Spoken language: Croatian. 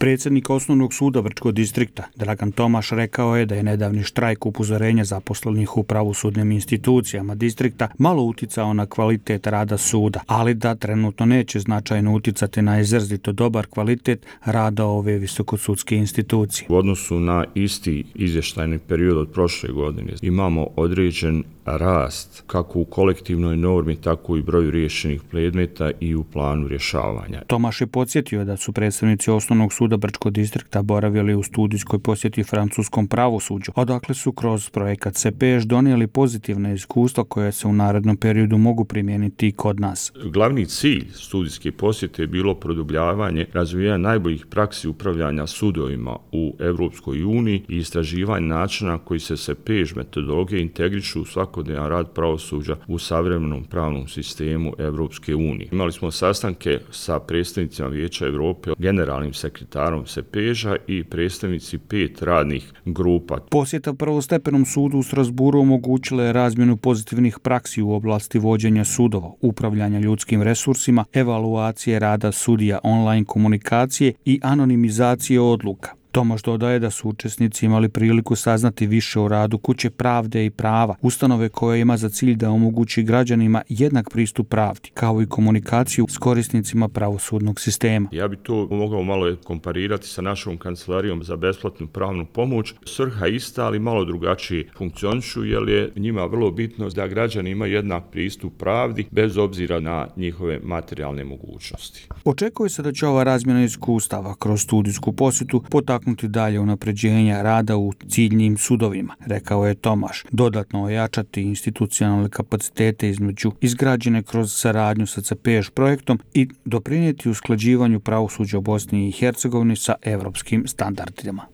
Predsjednik Osnovnog suda Brčkog distrikta Dragan Tomaš rekao je da je nedavni štrajk upozorenja zaposlenih u pravosudnim institucijama distrikta malo uticao na kvalitet rada suda, ali da trenutno neće značajno uticati na izrazito dobar kvalitet rada ove visokosudske institucije. U odnosu na isti izvještajni period od prošle godine imamo određen rast kako u kolektivnoj normi, tako i broju riješenih predmeta i u planu rješavanja. Tomaš je podsjetio da su predstavnici Osnovnog suda Brčkog distrikta boravili u studijskoj posjeti francuskom pravosuđu, odakle su kroz projekat CPEŠ donijeli pozitivne iskustva koje se u narednom periodu mogu primijeniti i kod nas. Glavni cilj studijske posjete je bilo produbljavanje razvijanja najboljih praksi upravljanja sudovima u Europskoj uniji i istraživanje načina koji se CPEŠ metodologije integrišu u svakodnevan rad pravosuđa u savremenom pravnom sistemu Europske unije. Imali smo sastanke sa predstavnicima Vijeća Europe, generalnim sekretarom CPEŠ-a i predstavnici 5 radnih grupa. Posjeta prvostepenom sudu u Strasburu omogućila je razmjenu pozitivnih praksi u oblasti vođenja sudova, upravljanja ljudskim resursima, evaluacije rada sudija, online komunikacije i anonimizacije odluka. Tomaš dodaje da su učesnici imali priliku saznati više o radu Kuće pravde i prava, ustanove koja ima za cilj da omogući građanima jednak pristup pravdi, kao i komunikaciju s korisnicima pravosudnog sistema. Ja bi to mogao malo komparirati sa našom kancelarijom za besplatnu pravnu pomoć. Svrha ista, ali malo drugačije funkcionišu, jer je njima vrlo bitno da građani imaju jednak pristup pravdi bez obzira na njihove materijalne mogućnosti. Očekuje se da će ova razmjena iskustava kroz studijsku posjetu potaknuti dalje unapređenja rada u ciljnim sudovima, rekao je Tomaš, dodatno ojačati institucionalne kapacitete izgrađene kroz saradnju sa CPEŠ projektom i doprinijeti usklađivanju pravosuđa u Bosni i Hercegovini sa evropskim standardima.